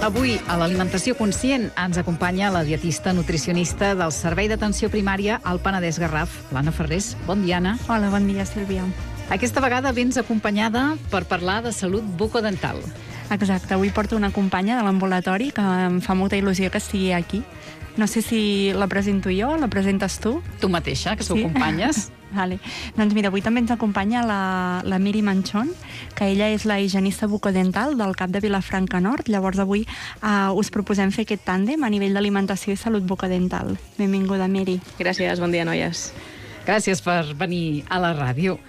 Avui, a l'Alimentació Conscient, ens acompanya la dietista nutricionista del Servei d'Atenció Primària al Penedès Garraf, l'Anna Ferrés. Bon dia, Anna. Hola, bon dia, Sílvia. Aquesta vegada vens acompanyada per parlar de salut bucodental. Exacte, avui porto una companya de l'ambulatori que em fa molta il·lusió que estigui aquí. No sé si la presento jo, la presentes tu? Tu mateixa, que sou companyes. Vale. Doncs mira, avui també ens acompanya la Miri Manchón, que ella és la higienista bucodental del CAP de Vilafranca Nord. Llavors avui us proposem fer aquest tàndem a nivell d'alimentació i salut bucodental. Benvinguda, Miri. Gràcies, bon dia, noies. Gràcies per venir a la ràdio.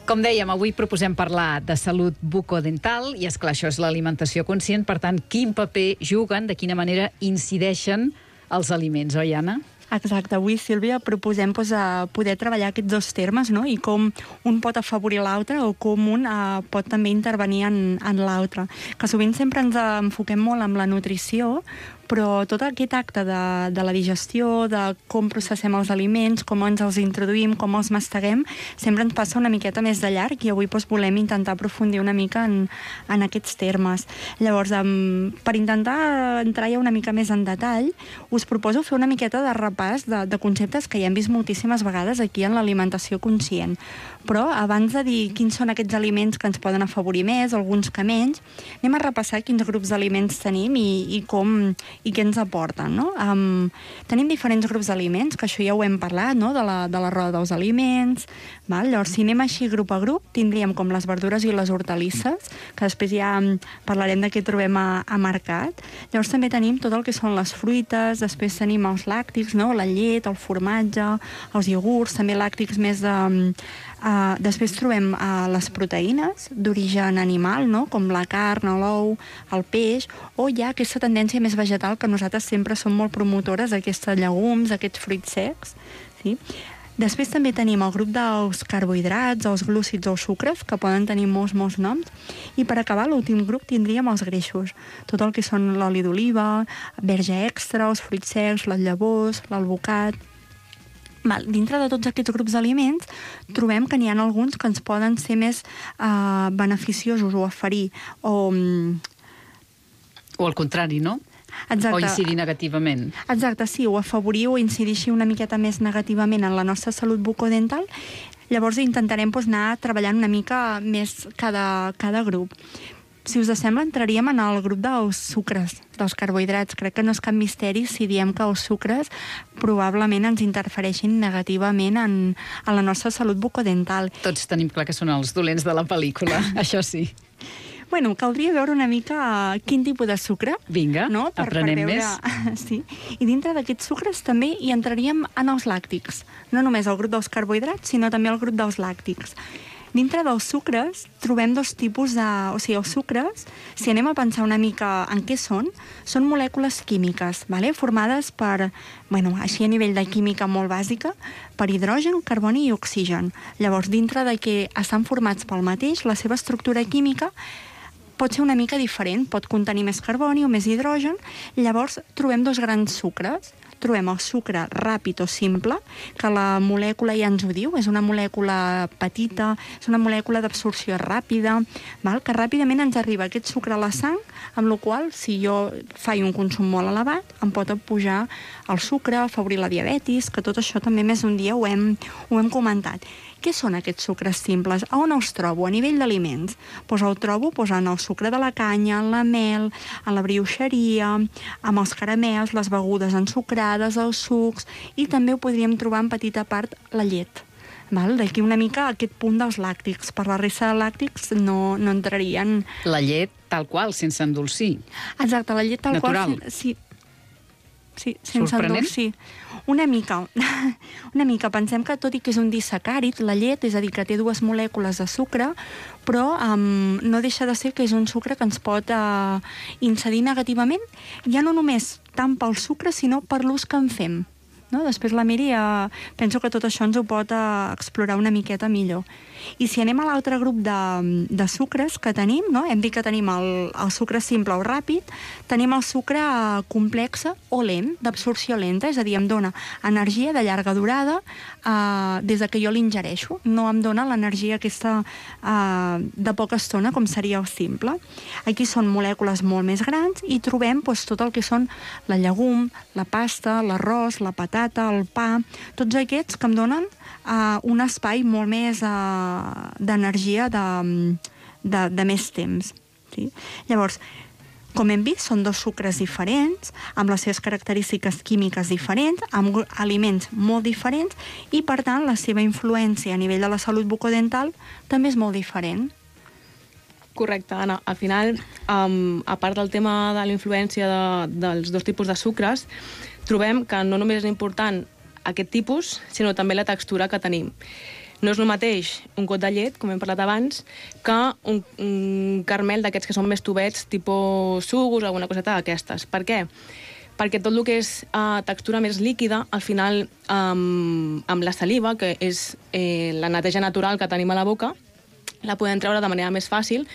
Com dèiem, avui proposem parlar de salut bucodental i, esclar, això és l'alimentació conscient. Per tant, quin paper juguen, de quina manera incideixen els aliments, oi, Anna? Exacte. Avui, Sílvia, proposem poder treballar aquests dos termes, no? I com un pot afavorir l'altre o com un pot també intervenir en l'altre. Que sovint sempre ens enfoquem molt en la nutrició, però tot aquest acte de la digestió, de com processem els aliments, com ens els introduïm, com els masteguem, sempre ens passa una miqueta més de llarg i avui volem intentar aprofundir una mica en aquests termes. Llavors, per intentar entrar ja una mica més en detall, us proposo fer una miqueta de repàs de conceptes que ja hem vist moltíssimes vegades aquí en l'alimentació conscient. Però abans de dir quins són aquests aliments que ens poden afavorir més, alguns que menys, anem a repassar quins grups d'aliments tenim i què ens aporten, no? Tenim diferents grups d'aliments, que això ja ho hem parlat, no? De la roda dels aliments, val? Llavors, si anem així grup a grup, tindríem com les verdures i les hortalisses, que després ja parlarem de què trobem a mercat. Llavors també tenim tot el que són les fruites, després tenim els làctics, no? La llet, el formatge, els iogurts, també làctics més després trobem les proteïnes d'origen animal, no? Com la carn, l'ou, el peix, o hi ha aquesta tendència més vegetal que nosaltres sempre som molt promotores d'aquests llegums, aquests fruits secs. Sí? Després també tenim el grup dels carbohidrats, els glúcids o els sucres, que poden tenir molts noms. I per acabar, l'últim grup tindríem els greixos. Tot el que són l'oli d'oliva, verge extra, els fruits secs, les llavors, l'alvocat. Dintre de tots aquests grups d'aliments trobem que n'hi ha alguns que ens poden ser més beneficiosos o aferir o al contrari, no? Exacte. O incidir negativament. Exacte, sí, o afavorir o incidir una miqueta més negativament en la nostra salut bucodental. Llavors intentarem anar treballant una mica més cada grup. Si us sembla, entraríem en el grup dels sucres, dels carbohidrats. Crec que no és cap misteri si diem que els sucres probablement ens interfereixin negativament en la nostra salut bucodental. Tots tenim clar que són els dolents de la pel·lícula, això sí. Bueno, caldria veure una mica quin tipus de sucre. Vinga, no? aprenem més. Sí. I dintre d'aquests sucres també hi entraríem en els làctics. No només el grup dels carbohidrats, sinó també el grup dels làctics. Dintre dels sucres trobem dos tipus o sigui, els sucres, si anem a pensar una mica en què són molècules químiques, formades per, així a nivell de química molt bàsica, per hidrogen, carboni i oxigen. Llavors, dintre de que estan formats pel mateix, la seva estructura química pot ser una mica diferent, pot contenir més carboni o més hidrogen. Llavors, trobem dos grans sucres. Trobem el sucre ràpid o simple, que la molècula ja ens ho diu, és una molècula petita, és una molècula d'absorció ràpida, que ràpidament ens arriba aquest sucre a la sang, amb la qual cosa, si jo faig un consum molt elevat, em pot pujar el sucre, afavorir la diabetis, que tot això també més d'un dia ho hem comentat. Què són aquests sucres simples? A on els trobo? A nivell d'aliments? Doncs el trobo en el sucre de la canya, en la mel, en la brioixeria, amb els caramels, les begudes ensucrades, els sucs, i també ho podríem trobar en petita part la llet. D'aquí una mica aquest punt dels làctics. Per la resta de làctics no entrarien... La llet tal qual, sense endolcir. Exacte, la llet tal natural. Qual... Sí, sense endolcir. Una mica. Pensem que tot i que és un disacàrid, la llet, és a dir, que té dues molècules de sucre, però no deixa de ser que és un sucre que ens pot incidir negativament, ja no només tant pel sucre, sinó per l'ús que en fem. no? Després la Miri penso que tot això ens ho pot explorar una miqueta millor. I si anem a l'altre grup de sucres que tenim, no? Hem dit que tenim el sucre simple o ràpid, tenim el sucre complex o lent, d'absorció lenta, és a dir, em dona energia de llarga durada des de que jo l'ingereixo. No em dona l'energia aquesta de poca estona, com seria el simple. Aquí són molècules molt més grans i trobem tot el que són la llegum, la pasta, l'arròs, la patata, el pa, tots aquests que em donen un espai molt més d'energia de més temps. Sí? Llavors, com hem vist, són dos sucres diferents, amb les seves característiques químiques diferents, amb aliments molt diferents, i, per tant, la seva influència a nivell de la salut bucodental també és molt diferent. Correcte, Anna. Al final, a part del tema de la influència dels dos tipus de sucres, trobem que no només és important aquest tipus, sinó també la textura que tenim. No és el mateix un got de llet, com hem parlat abans, que un caramel d'aquests que són més tubets, tipus sugus o alguna coseta d'aquestes. Per què? Perquè tot el que és textura més líquida, al final, amb la saliva, que és la neteja natural que tenim a la boca, la podem treure de manera més fàcil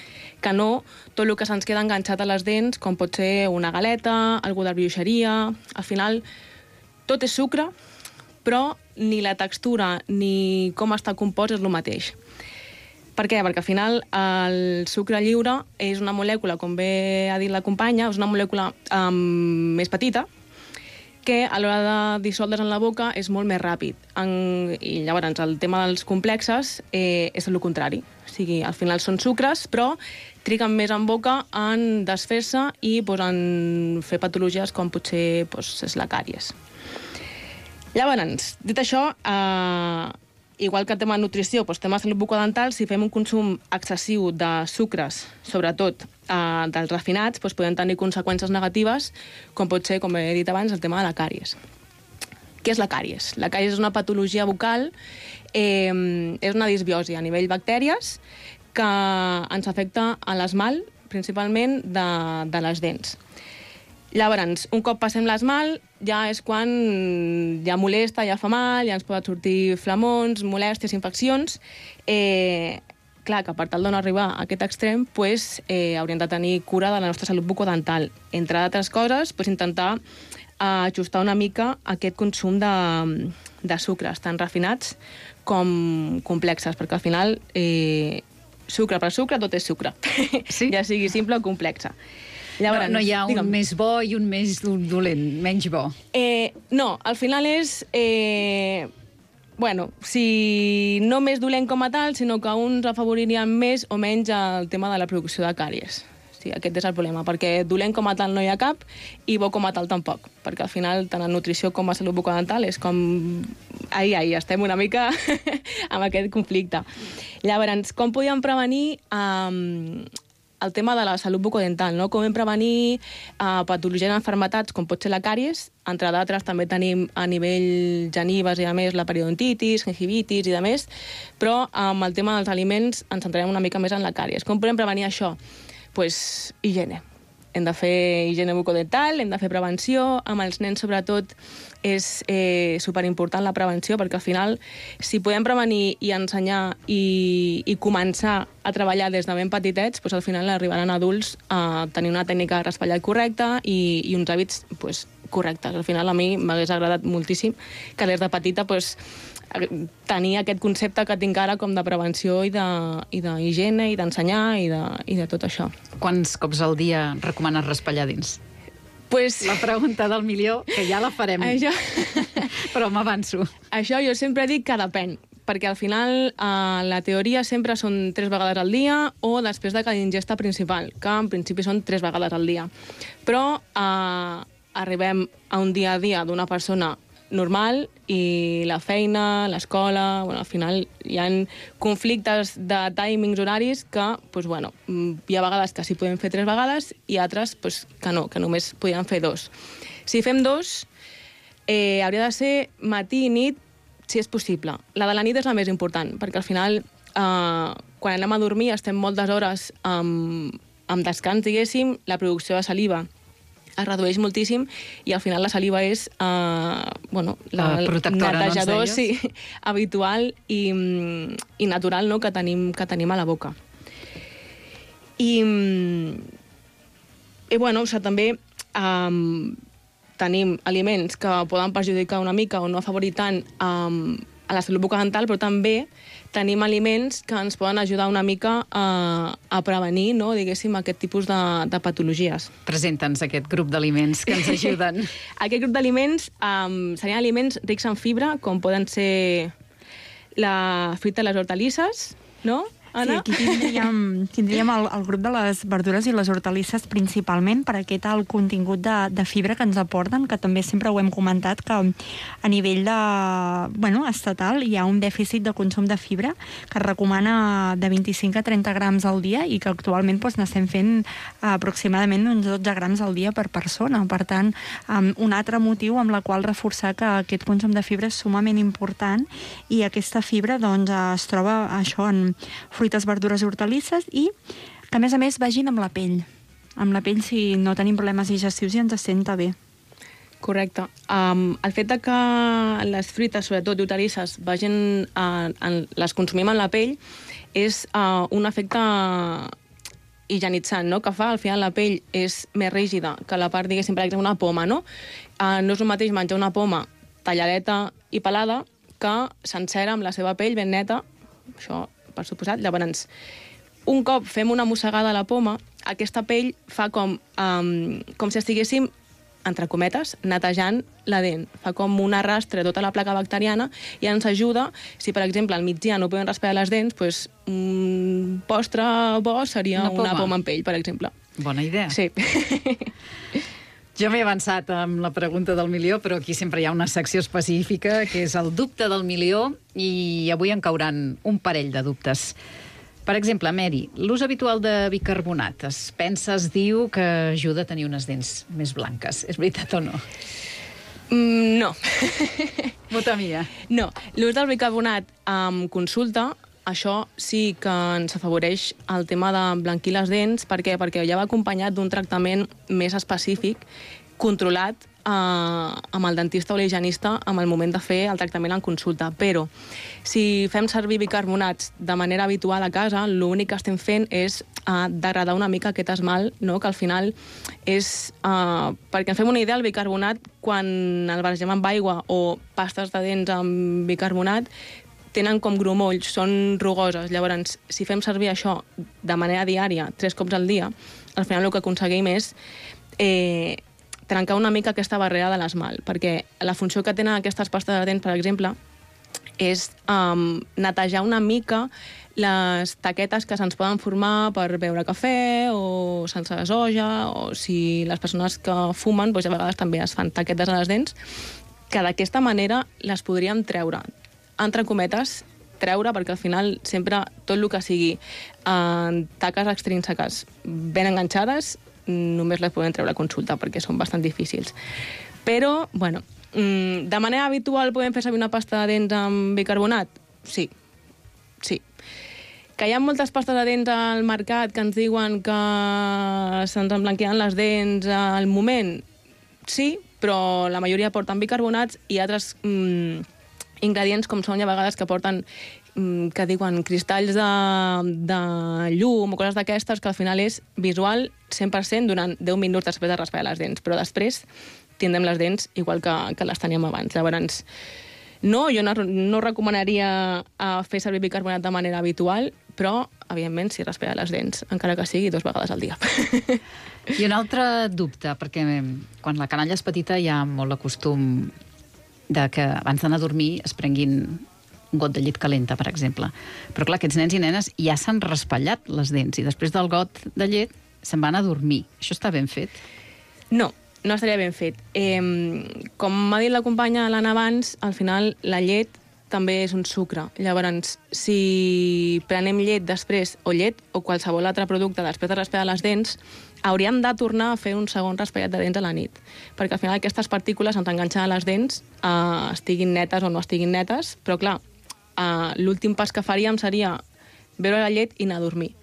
que no tot el que se'ns queda enganxat a les dents, com pot ser una galeta, algú de brioixeria. Al final, tot és sucre, però ni la textura ni com està compost és el mateix. Per què? Perquè al final el sucre lliure és una molècula, com bé ha dit la companya, és una molècula més petita, que a l'hora de dissoldre's en la boca és molt més ràpid. I llavors el tema dels complexes és el contrari. O sigui, al final són sucres, però triguen més en boca en desfer-se i en fer patologies com potser és la càries. Llavors, dit això, igual que el tema de nutrició, tema de salut bucodental, si fem un consum excessiu de sucres, sobretot dels refinats, podem tenir conseqüències negatives, com pot ser, com he dit abans, el tema de la càries. Què és la càries? La càries és una patologia bucal, és una disbiosi a nivell bactèries que ens afecta a l'esmalt, principalment de les dents. Llavors, un cop passem l'esmalt, ja és quan ja molesta, ja fa mal, ja ens poden sortir flamons, molèsties, infeccions. Clar, que per tal de no arribar a aquest extrem, hauríem de tenir cura de la nostra salut bucodental. Entre altres coses, intentar ajustar una mica aquest consum de sucres, tant refinats com complexes, perquè al final, sucre per sucre, tot és sucre. Sí? Ja sigui simple o complexa. Llavors, no hi ha un més bo i un més dolent, menys bo. No, al final és... si no més dolent com a tal, sinó que uns afavoririen més o menys el tema de la producció de càries. Sí, aquest és el problema, perquè dolent com a tal no hi ha cap i bo com a tal tampoc, perquè al final tant en nutrició com a salut bucodental és com... estem una mica amb aquest conflicte. Llavors, com podíem prevenir el tema de la salut bucodental, no? Com hem prevenir patologies enfermetats, com pot ser la càries, entre d'altres també tenim a nivell genives i a més la periodontitis, gingivitis i de més, però amb el tema dels aliments ens centrarem una mica més en la càries. Com podem prevenir això? Higiene. Hem de fer higiene bucodental, hem de fer prevenció, amb els nens sobretot és superimportant la prevenció, perquè al final, si podem prevenir i ensenyar i començar a treballar des de ben petitets, al final arribaran adults a tenir una tècnica de raspallat correcta i uns hàbits correctes. Al final a mi m'hagués agradat moltíssim que des de petita tenir aquest concepte que tinc ara com de prevenció i d'higiene i d'ensenyar i de tot això. Quants cops al dia recomanes raspallar dins? La pregunta del milió, que ja la farem. Però m'avanço. Això jo sempre dic que depèn, perquè al final la teoria sempre són 3 vegades al dia o després de cada ingesta principal, que en principi són 3 vegades al dia. Però arribem a un dia a dia d'una persona normal i la feina, l'escola... al final hi ha conflictes de timings horaris que, hi ha vegades que sí podem fer 3 vegades i altres que no, que només podien fer 2. Si fem 2, hauria de ser matí i nit, si és possible. La de la nit és la més important, perquè al final, quan anem a dormir, estem moltes hores amb descans, diguéssim, la producció de saliva es redueix moltíssim i al final la saliva és la protectora, netejador habitual i natural, no?, que tenim a la boca. I bueno, també tenim aliments que poden perjudicar una mica o no afavorir tant a la salut bucodental, però també tenim aliments que ens poden ajudar una mica a prevenir, no?, diguéssim, aquest tipus de patologies. Presenta'ns aquest grup d'aliments que ens ajuden. Aquest grup d'aliments serien aliments rics en fibra, com poden ser la fruita i les hortalisses, no? Anna? Sí, aquí tindríem el grup de les verdures i les hortalisses principalment per aquest alt contingut de fibra que ens aporten, que també sempre ho hem comentat, que a nivell estatal hi ha un dèficit de consum de fibra que es recomana de 25 a 30 grams al dia i que actualment n'estem fent aproximadament uns 12 grams al dia per persona. Per tant, un altre motiu amb la qual reforçar que aquest consum de fibra és sumament important i aquesta fibra es troba això en fruites, verdures i hortalisses i que, a més, vagin amb la pell. Amb la pell, si no tenim problemes digestius, i ens senta bé. Correcte. El fet que les fruites, sobretot i hortalisses, les consumim en la pell és un efecte higienitzant, no?, que fa, al final, la pell és més rígida que la part, diguéssim, per exemple, una poma, no? No és el mateix menjar una poma talladeta i pelada que sencera amb la seva pell ben neta, això per suposat. Llavors, un cop fem una mossegada a la poma, aquesta pell fa com si estiguéssim, entre cometes, netejant la dent. Fa com un arrastre tota la placa bacteriana i ens ajuda, si per exemple al migdia no podem raspar les dents, doncs un postre bo seria una poma amb pell, per exemple. Bona idea. Sí. Jo m'he avançat amb la pregunta del milió, però aquí sempre hi ha una secció específica, que és el dubte del milió, i avui en cauran un parell de dubtes. Per exemple, Mary, l'ús habitual de bicarbonat es diu que ajuda a tenir unes dents més blanques. És veritat o no? No. Vota mia. No. L'ús del bicarbonat amb consulta, això sí que ens afavoreix el tema de blanquir les dents. Per què? Perquè ja va acompanyat d'un tractament més específic, controlat amb el dentista o l'higienista en el moment de fer el tractament en consulta. Però si fem servir bicarbonats de manera habitual a casa, l'únic que estem fent és degradar una mica aquest esmalt, no?, que al final és... perquè ens fem una idea, el bicarbonat, quan el barregem amb aigua o pastes de dents amb bicarbonat, tenen com grumolls, són rugoses. Llavors, si fem servir això de manera diària, 3 cops al dia, al final el que aconseguim és trencar una mica aquesta barrera de l'esmalt, perquè la funció que tenen aquestes pastes de dents, per exemple, és netejar una mica les taquetes que se'ns poden formar per beure cafè o sense soja, o si les persones que fumen, doncs a vegades també es fan taquetes a les dents, que d'aquesta manera les podríem treure, entre cometes, perquè al final sempre tot el que sigui taques extrínseques ben enganxades només les podem treure a consulta perquè són bastant difícils. Però, bueno, de manera habitual podem fer servir una pasta de dents amb bicarbonat? Sí. Que hi ha moltes pastes de dents al mercat que ens diuen que se'ns emblanquiran les dents al moment? Sí, però la majoria porten bicarbonats i altres ingredients com són a vegades que porten, que diuen cristalls de llum o coses d'aquestes, que al final és visual 100% durant 10 minuts després de raspar les dents, però després tindrem les dents igual que les teníem abans. Llavors, no, jo no recomanaria fer servir bicarbonat de manera habitual, però, evidentment, si raspar les dents, encara que sigui 2 vegades al dia. I un altre dubte, perquè quan la canalla és petita hi ha molt el costum de que abans d'anar a dormir es prenguin un got de llet calenta, per exemple. Però clar, aquests nens i nenes ja s'han raspallat les dents i després del got de llet se'n van a dormir. Això està ben fet? No estaria ben fet. Com m'ha dit la companya l'Anna abans, al final la llet també és un sucre. Llavors, si prenem llet després, o llet o qualsevol altre producte després de raspar les dents, hauríem de tornar a fer un segon raspallat de dents a la nit, perquè al final aquestes partícules ens enganxen a les dents, estiguin netes o no estiguin netes, però clar, l'últim pas que faríem seria beure la llet i anar a dormir.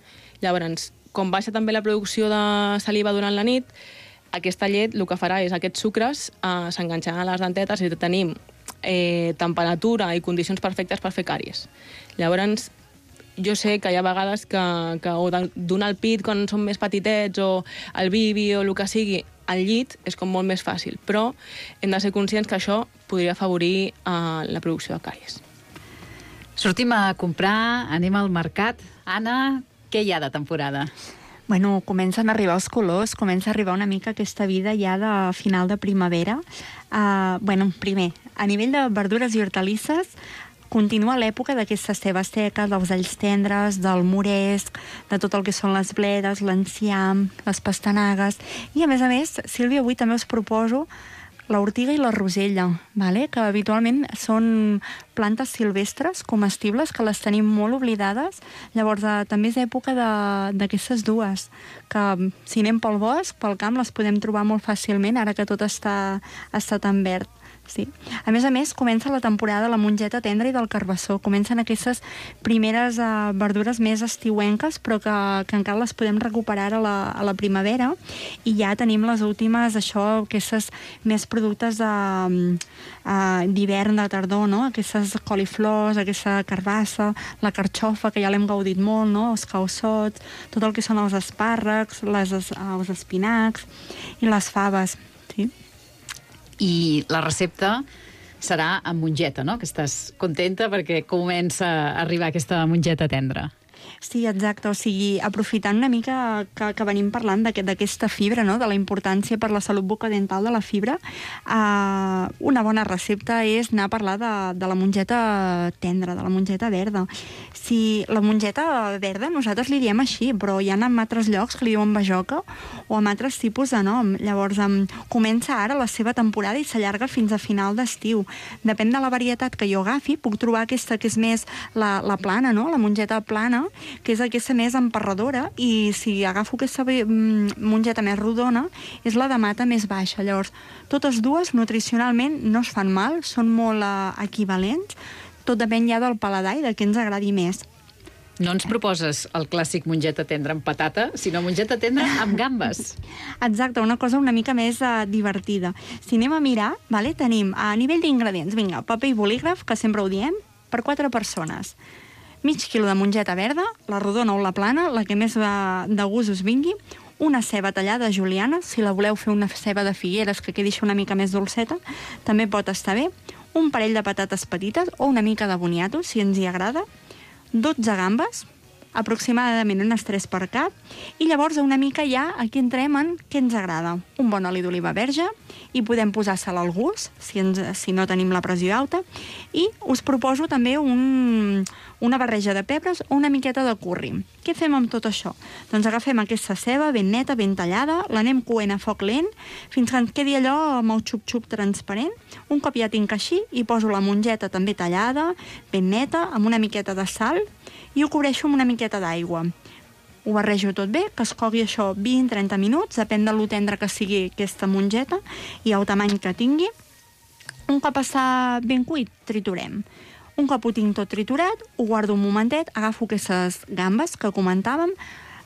Llavors, com baixa també la producció de saliva durant la nit, aquesta llet el que farà és aquests sucres s'enganxaran a les dentetes i tenim temperatura i condicions perfectes per fer càries. Llavors, jo sé que hi ha vegades que o donar el pit quan són més petitets o el bibi o el que sigui, al llit és com molt més fàcil, però hem de ser conscients que això podria afavorir la producció de càries. Sortim a comprar, anem al mercat. Anna, què hi ha de temporada? Bueno, comencen a arribar els colors, comença a arribar una mica aquesta vida ja de final de primavera. Primer, a nivell de verdures i hortalisses, continua l'època d'aquestes cebes seques, dels alls tendres, del moresc, de tot el que són les bledes, l'enciam, les pastanagues. I, a més, Sílvia, avui també us proposo l'ortiga i la rosella, vale? Que habitualment són plantes silvestres, comestibles, que les tenim molt oblidades. Llavors, també és època d'aquestes dues, que si anem pel bosc, pel camp, les podem trobar molt fàcilment, ara que tot està tan verd. Sí. A més, comença la temporada de la mongeta tendra i del carbassó. Comencen aquestes primeres verdures més estiuenques, però que encara les podem recuperar a la primavera. I ja tenim les últimes, aquestes més productes d'hivern, de tardor, no? Aquestes coliflors, aquesta carbassa, la carxofa, que ja l'hem gaudit molt, no? Els calçots, tot el que són els espàrrecs, els espinacs i les faves, sí? I la recepta serà amb mongeta, no? Que estàs contenta perquè comença a arribar aquesta mongeta tendra. Sí, exacte. O sigui, aprofitant una mica que venim parlant d'aquesta fibra, no? De la importància per la salut bucodental de la fibra, una bona recepta és anar a parlar de la mongeta tendra, de la mongeta verda. Si la mongeta verda nosaltres li diem així, però hi ha en altres llocs que li diuen bajoca o amb altres tipus de nom. Llavors, comença ara la seva temporada i s'allarga fins a final d'estiu. Depèn de la varietat que jo agafi, puc trobar aquesta que és més la plana, no? La mongeta plana, que és aquesta més emparradora, i si agafo aquesta mongeta més rodona, és la de mata més baixa. Llavors, totes dues nutricionalment no es fan mal, són molt equivalents, tot depèn ja del paladar i de què ens agradi més. No ens proposes el clàssic mongeta tendra amb patata, sinó mongeta tendra amb gambes. Exacte, una cosa una mica més divertida. Si anem a mirar, tenim a nivell d'ingredients, paper i bolígraf, que sempre ho diem, per 4 persones. Mig quilo de mongeta verda, la rodona o la plana, la que més de gust us vingui, una ceba tallada a juliana, si la voleu fer una ceba de figueres que quedi una mica més dolceta, també pot estar bé, un parell de patates petites o una mica de boniato, si ens hi agrada, 12 gambes, aproximadament unes 3 per cap, i llavors una mica ja aquí entrem en què ens agrada. Un bon oli d'oliva verge, i podem posar sal al gust, si no tenim la pressió alta, i us proposo també una barreja de pebres o una miqueta de curri. Què fem amb tot això? Doncs agafem aquesta ceba ben neta, ben tallada, l'anem coent a foc lent, fins que ens quedi allò amb el xup-xup transparent. Un cop ja tinc així, hi poso la mongeta també tallada, ben neta, amb una miqueta de sal, i ho cobreixo amb una miqueta d'aigua. Ho barrejo tot bé, que es cogui això 20-30 minuts, depèn de lo tendre que sigui aquesta mongeta i el tamany que tingui. Un cop està ben cuit, triturem. Un cop ho tinc tot triturat, ho guardo un momentet, agafo aquestes gambes que comentàvem,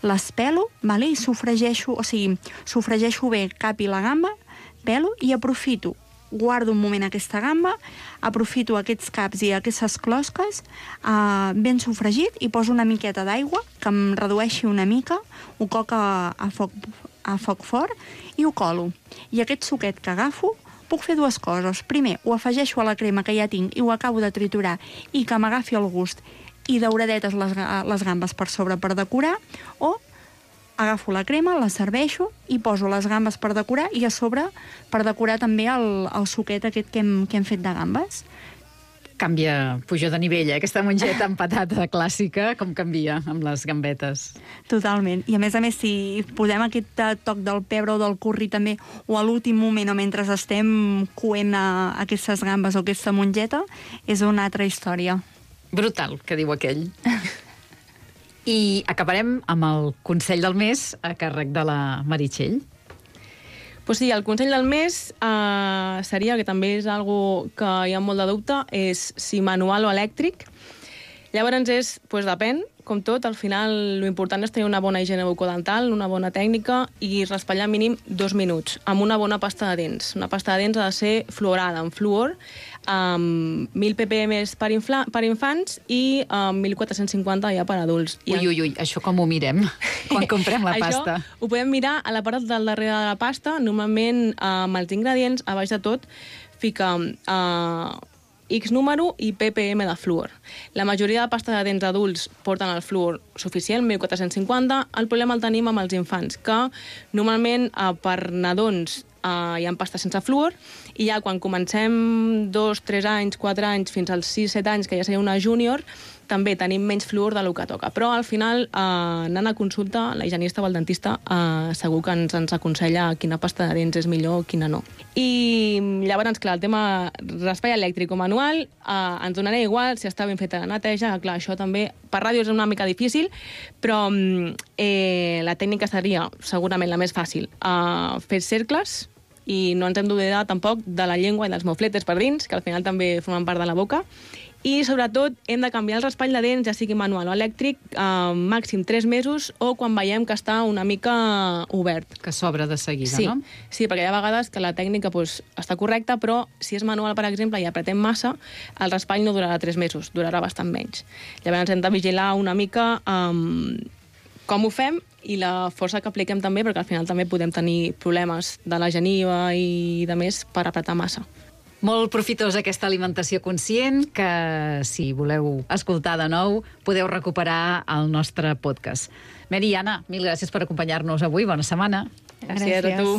les pelo, i sofregeixo bé cap i la gamba, pelo i aprofito. Guardo un moment aquesta gamba, aprofito aquests caps i aquestes closques ben sofregit i poso una miqueta d'aigua que em redueixi una mica, ho coc a foc fort i ho colo. I aquest suquet que agafo puc fer dues coses. Primer, ho afegeixo a la crema que ja tinc i ho acabo de triturar i que m'agafi el gust i dauradetes les gambes per sobre per decorar, o agafo la crema, la serveixo i poso les gambes per decorar i a sobre per decorar també el suquet aquest que hem fet de gambes. Canvia, puja de nivell, aquesta mongeta amb patata clàssica, com canvia amb les gambetes. Totalment. I a més, si posem aquest toc del pebre o del curri també, o a l'últim moment o mentre estem coent aquestes gambes o aquesta mongeta, és una altra història. Brutal, que diu aquell. I acabarem amb el consell del mes a càrrec de la Meritxell. Pues sí, el consell del mes seria, que també és algo que hi ha molt de dubte, és si manual o elèctric. Llavors depèn, com tot, al final l'important és tenir una bona higiene bucodental, una bona tècnica i raspallar mínim 2 minuts amb una bona pasta de dents. Una pasta de dents ha de ser fluorada, amb fluor, amb 1.000 ppm per infants i 1.450 ja per adults. Ui, això com ho mirem quan comprem la pasta? Això ho podem mirar a la part del darrere de la pasta. Normalment, amb els ingredients, a baix de tot, fica X número i ppm de fluor. La majoria de pasta de dents adults porten el fluor suficient, 1.450. El problema el tenim amb els infants, que normalment per nadons hi ha pasta sense fluor, i ja quan comencem 2, 3 anys, 4 anys, fins als 6, 7 anys, que ja seria una júnior, també tenim menys fluor del que toca. Però al final, anant a consulta, la higienista o el dentista segur que ens aconsella quina pasta de dents és millor, quina no. I llavors, clar, el tema raspall elèctric o manual ens donarà igual si està ben feta la neteja. Clar, això també per ràdio és una mica difícil, però la tècnica seria segurament la més fàcil. Fer cercles, i no ens hem d'oblidar tampoc de la llengua i dels mofletes per dins, que al final també formen part de la boca. I, sobretot, hem de canviar el raspall de dents, ja sigui manual o elèctric, màxim 3 mesos o quan veiem que està una mica obert. Que s'obre de seguida, sí, no? Sí, perquè hi ha vegades que la tècnica està correcta, però si és manual, per exemple, i apretem massa, el raspall no durarà 3 mesos, durarà bastant menys. Llavors hem de vigilar una mica com ho fem i la força que apliquem també, perquè al final també podem tenir problemes de la geniva i de més per apretar massa. Molt profitosa aquesta alimentació conscient, que si voleu escoltar de nou podeu recuperar al nostre podcast. Mary i Anna, mil gràcies per acompanyar-nos avui. Bona setmana. Gràcies a tu.